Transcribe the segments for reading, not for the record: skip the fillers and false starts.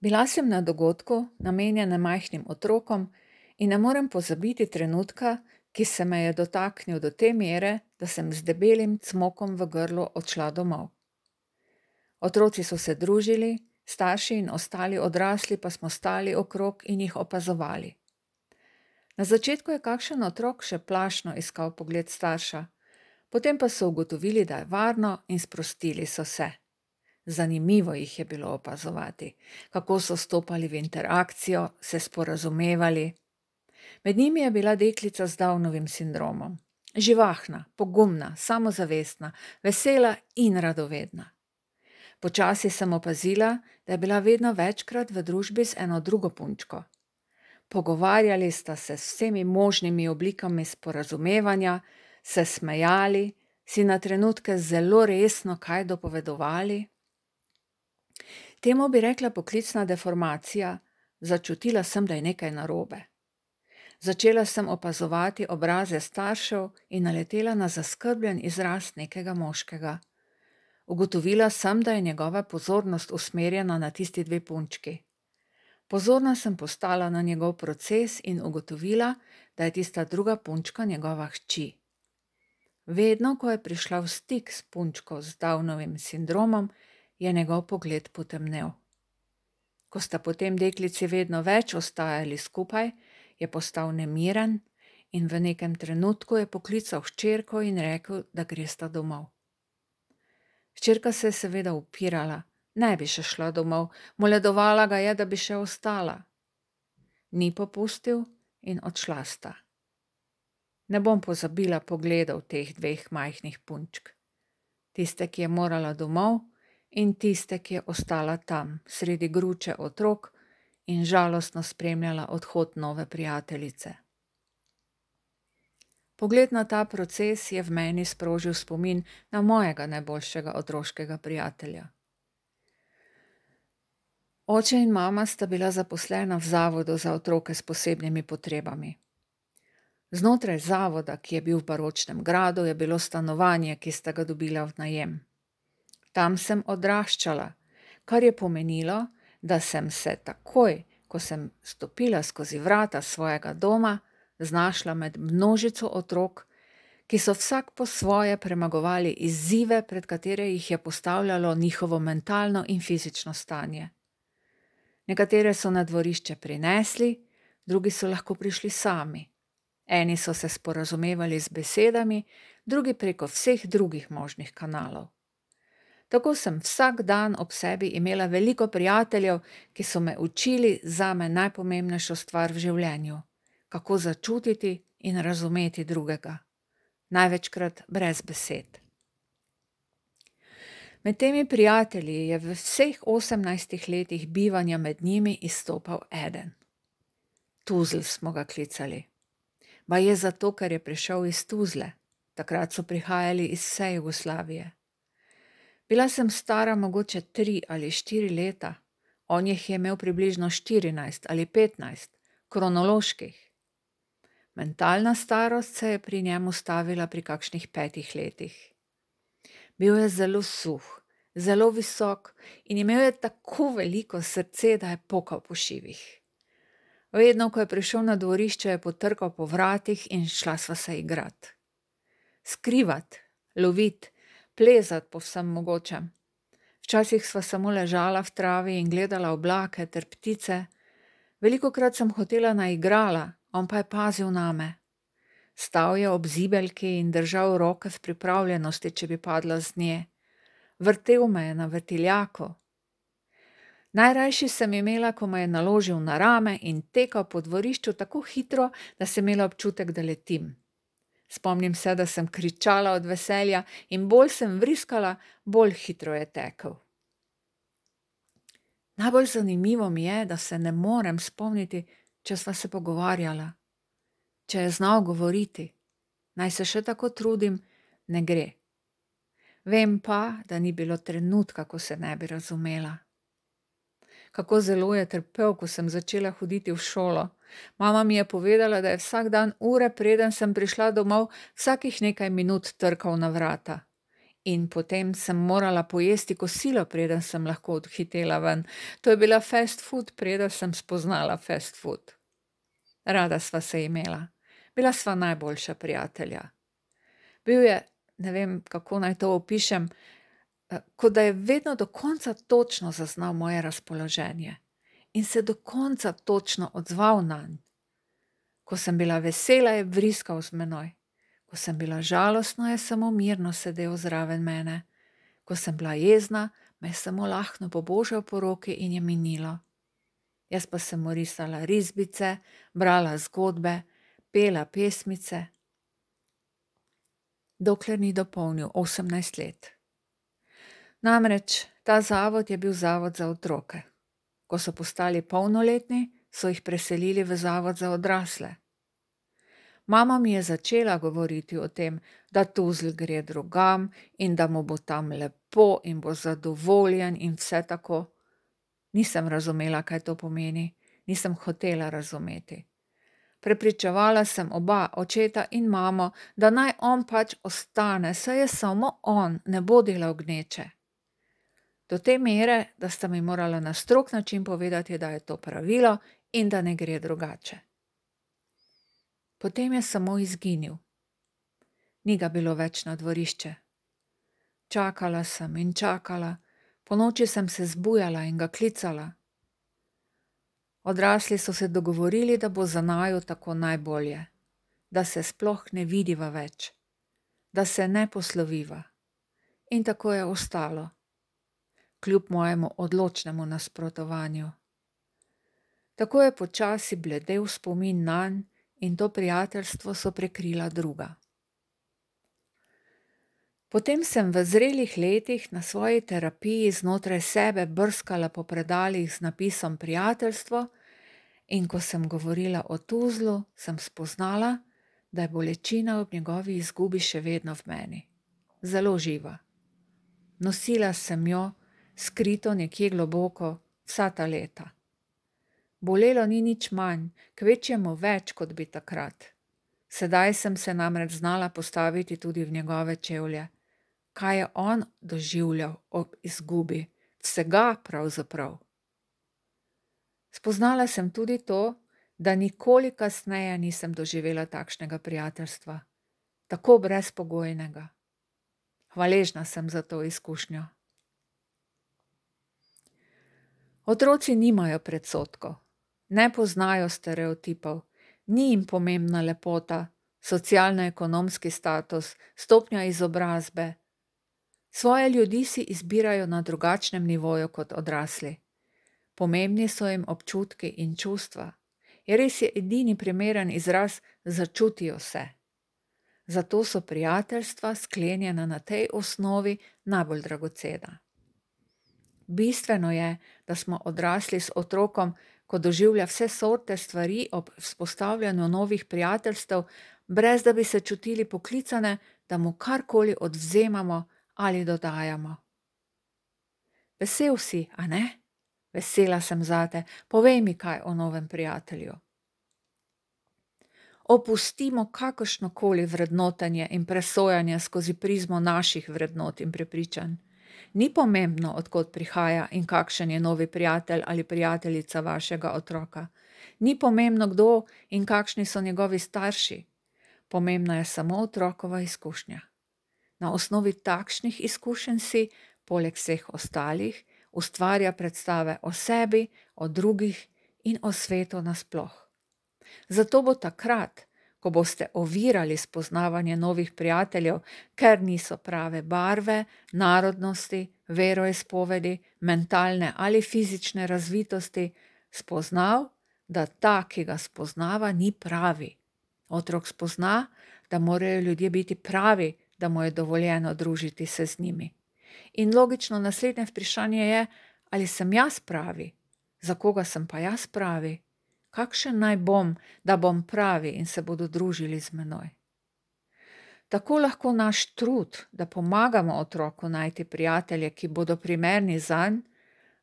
Bila sem na dogodku, namenjenem majhnim otrokom, in ne morem pozabiti trenutka, ki se me je dotaknil do te mere, da sem z debelim cmokom v grlu odšla domov. Otroci so se družili, starši in ostali odrasli pa smo stali okrog in jih opazovali. Na začetku je kakšen otrok še plašno iskal pogled starša, potem pa so ugotovili, da je varno, in sprostili so se. Zanimivo jih je bilo opazovati, kako so stopali v interakcijo, se sporazumevali. Med njimi je bila deklica z Downovim sindromom. Živahna, pogumna, samozavestna, vesela in radovedna. Počasi sem opazila, da je bila vedno večkrat v družbi z eno drugo punčko. Pogovarjali sta se s vsemi možnimi oblikami sporazumevanja, se smejali, si na trenutke zelo resno kaj dopovedovali. Temu bi rekla poklicna deformacija, začutila sem, da je nekaj narobe. Začela sem opazovati obraze staršev in naletela na zaskrbljen izraz nekega moškega. Ugotovila sem, da je njegova pozornost usmerjena na tisti dve punčki. Pozorna sem postala na njegov proces in ugotovila, da je tista druga punčka njegova hči. Vedno, ko je prišla v stik s punčko z Downovim sindromom, je njegov pogled potemnel. Ko sta potem deklici vedno več ostajali skupaj, je postal nemiren in v nekem trenutku je poklical hčerko in rekel, da gresta domov. Hčerka se je seveda upirala, ne bi še šla domov, moledovala ga je, da bi še ostala. Ni popustil in odšla sta. Ne bom pozabila pogledov teh dveh majhnih punčk. Tiste, ki je morala domov, in tiste, ki je ostala tam, sredi gruče otrok in žalostno spremljala odhod nove prijateljice. Pogled na ta proces je v meni sprožil spomin na mojega najboljšega otroškega prijatelja. Oče in mama sta bila zaposlena v zavodu za otroke s posebnimi potrebami. Znotraj zavoda, ki je bil v baročnem gradu, je bilo stanovanje, ki sta ga dobila v najem. Tam sem odraščala, kar je pomenilo, da sem se takoj, ko sem stopila skozi vrata svojega doma, znašla med množico otrok, ki so vsak po svoje premagovali izzive, pred katere jih je postavljalo njihovo mentalno in fizično stanje. Nekatere so na dvorišče prinesli, drugi so lahko prišli sami. Eni so se sporazumevali z besedami, drugi preko vseh drugih možnih kanalov. Tako sem vsak dan ob sebi imela veliko prijateljev, ki so me učili zame najpomembnejšo stvar v življenju, kako začutiti in razumeti drugega. Največkrat brez besed. Med temi prijatelji je v vseh 18 letih bivanja med njimi izstopal eden. Tuzl smo ga klicali. Baje zato, ker je prišel iz Tuzle. Takrat so prihajali iz vse Jugoslavije. Bila sem stara mogoče 3 ali 4 leta, on jih je imel približno 14 ali 15, kronoloških. Mentalna starost se je pri njemu stavila pri kakšnih 5 letih. Bil je zelo suh, zelo visok in imel je tako veliko srce, da je pokal po šivih. Vedno, ko je prišel na dvorišče, je potrkal po vratih in šla sva se igrat. Skrivat, lovit, plezat po vsem mogočem. Včasih sva samo ležala v travi in gledala oblake ter ptice. Velikokrat sem hotela na igrala, on pa je pazil name. Stal je ob zibelki in držal roke v pripravljenosti, če bi padla z nje. Vrtel me je na vrtiljaku. Najrajši sem imela, ko me je naložil na rame in tekal po dvorišču tako hitro, da sem imela občutek, da letim. Spomnim se, da sem kričala od veselja in bolj sem vriskala, bolj hitro je tekel. Najbolj zanimivo mi je, da se ne morem spomniti, če sva se pogovarjala. Če je znal govoriti, naj se še tako trudim, ne gre. Vem pa, da ni bilo trenutka, ko se ne bi razumela. Kako zelo je trpel, ko sem začela hoditi v šolo. Mama mi je povedala, da je vsak dan ure, preden sem prišla domov, vsakih nekaj minut trkal na vrata. In potem sem morala pojesti kosilo, preden sem lahko odhitela ven. To je bila fast food, preden sem spoznala fast food. Rada sva se imela. Bila sva najboljša prijatelja. Bil je, ne vem, kako naj to opišem, kot da je vedno do konca točno zaznal moje razpoloženje in se do konca točno odzval nanj. Ko sem bila vesela, je vriskal z menoj. Ko sem bila žalostna, je samo mirno sedel zraven mene. Ko sem bila jezna, me je samo lahno pobožal po roki in je minilo. Jaz pa sem mu risala risbice, brala zgodbe, pela pesmice, dokler ni dopolnil 18 let. Namreč ta zavod je bil zavod za otroke. Ko so postali polnoletni, so jih preselili v zavod za odrasle. Mama mi je začela govoriti o tem, da Tuzl gre drugam in da mu bo tam lepo in bo zadovoljen in vse tako. Nisem razumela, kaj to pomeni, nisem hotela razumeti. Prepričevala sem oba, očeta in mamo, da naj on pač ostane, saj je samo on, ne bo delal gneče. Do te mere, da sta mi morala na strog način povedati, da je to pravilo in da ne gre drugače. Potem je samo izginil. Ni ga bilo več na dvorišče. Čakala sem in čakala, ponoči sem se zbujala in ga klicala. Odrasli so se dogovorili, da bo za naju tako najbolje, da se sploh ne vidiva več, da se ne posloviva. In tako je ostalo, kljub mojemu odločnemu nasprotovanju. Tako je počasi bledel spomin nanj in to prijateljstvo so prekrila druga. Potem sem v zrelih letih na svoji terapiji znotraj sebe brskala po predalih z napisom prijateljstvo in ko sem govorila o Tuzlu, sem spoznala, da je bolečina ob njegovi izgubi še vedno v meni. Zelo živa. Nosila sem jo, skrito nekje globoko, vsa ta leta. Bolelo ni nič manj, kvečjemu več, kot bi takrat. Sedaj sem se namreč znala postaviti tudi v njegove čevlje. Kaj je on doživljal ob izgubi, vsega pravzaprav. Spoznala sem tudi to, da nikoli kasneje nisem doživela takšnega prijateljstva, tako brezpogojnega. Hvaležna sem za to izkušnjo. Otroci nimajo predsodkov, ne poznajo stereotipov, ni jim pomembna lepota, socialno-ekonomski status, stopnja izobrazbe. Svoje ljudi si izbirajo na drugačnem nivoju kot odrasli. Pomembni so jim občutki in čustva. Je res je edini primeren izraz začutijo se. Zato so prijateljstva sklenjena na tej osnovi najbolj dragocena. Bistveno je, da smo odrasli s otrokom, ko doživlja vse sorte stvari ob vzpostavljanju novih prijateljstev, brez da bi se čutili poklicane, da mu karkoli odvzemamo ali dodajamo. Vesel si, a ne? Vesela sem zate, povej mi kaj o novem prijatelju. Opustimo kakršnokoli vrednotenje in presojanje skozi prizmo naših vrednot in prepričanj. Ni pomembno, od kod prihaja in kakšen je novi prijatelj ali prijateljica vašega otroka. Ni pomembno, kdo in kakšni so njegovi starši. Pomembna je samo otrokova izkušnja. Na osnovi takšnih izkušenj si, poleg vseh ostalih, ustvarja predstave o sebi, o drugih in o svetu nasploh. Zato bo takrat, ko boste ovirali spoznavanje novih prijateljev, ker niso prave barve, narodnosti, veroizpovedi, mentalne ali fizične razvitosti, spoznal, da ta, ki ga spoznava, ni pravi. Otrok spozna, da morajo ljudje biti pravi, da mu je dovoljeno družiti se z njimi. In logično naslednje vprašanje je, ali sem jaz pravi? Za koga sem pa jaz pravi? Kakšen naj bom, da bom pravi in se bodo družili z menoj? Tako lahko naš trud, da pomagamo otroku najti prijatelje, ki bodo primerni zanj,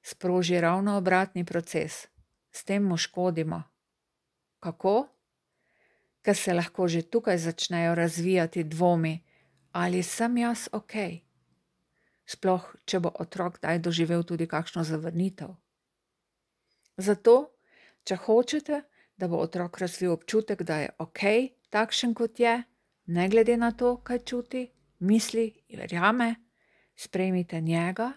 sproži ravno obratni proces. S tem mu škodimo. Kako? Ker se lahko že tukaj začnejo razvijati dvomi, ali sem jaz okej? sploh če bo otrok kdaj doživel tudi kakšno zavrnitev. Zato, če hočete, da bo otrok razvil občutek, da je okej, takšen kot je, ne glede na to, kaj čuti, misli in verjame, sprejmite njega,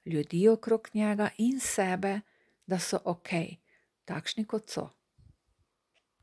ljudi okrog njega in sebe, da so okej, takšni kot so.